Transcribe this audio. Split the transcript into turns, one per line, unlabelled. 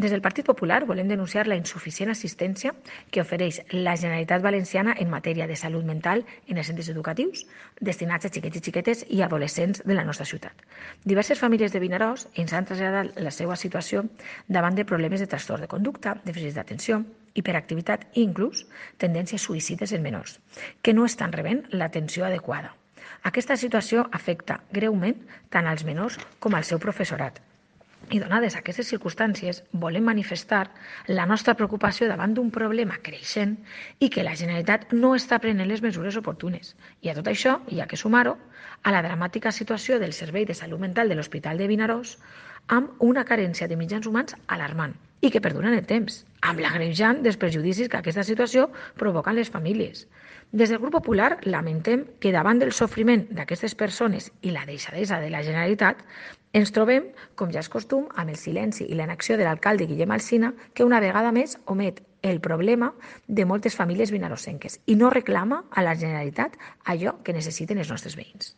Des del Partit Popular volem denunciar la insuficient assistència que ofereix la Generalitat Valenciana en matèria de salut mental en els centres educatius destinats a xiquets i xiquetes i adolescents de la nostra ciutat. Diverses famílies de Vinaròs ens han traslladat la seva situació davant de problemes de trastorn de conducta, dèficit d'atenció, hiperactivitat i inclús tendències suïcides en menors, que no estan rebent l'atenció adequada. Aquesta situació afecta greument tant als menors com al seu professorat. I donades aquestes circumstàncies, volem manifestar la nostra preocupació davant d'un problema creixent i que la Generalitat no està prenent les mesures oportunes. I a tot això hi ha que sumar-ho a la dramàtica situació del Servei de Salut Mental de l'Hospital de Vinaròs amb una carència de mitjans humans alarmant i que perdura en el temps, amb l'agreujant dels perjudicis que aquesta situació provoca en les famílies. Des del Grup Popular lamentem que davant del sofriment d'aquestes persones i la deixadesa de la Generalitat ens trobem, com ja és costum, amb el silenci i la inacció de l'alcalde Guillem Alsina, que una vegada més omet el problema de moltes famílies vinarossenques i no reclama a la Generalitat allò que necessiten els nostres veïns.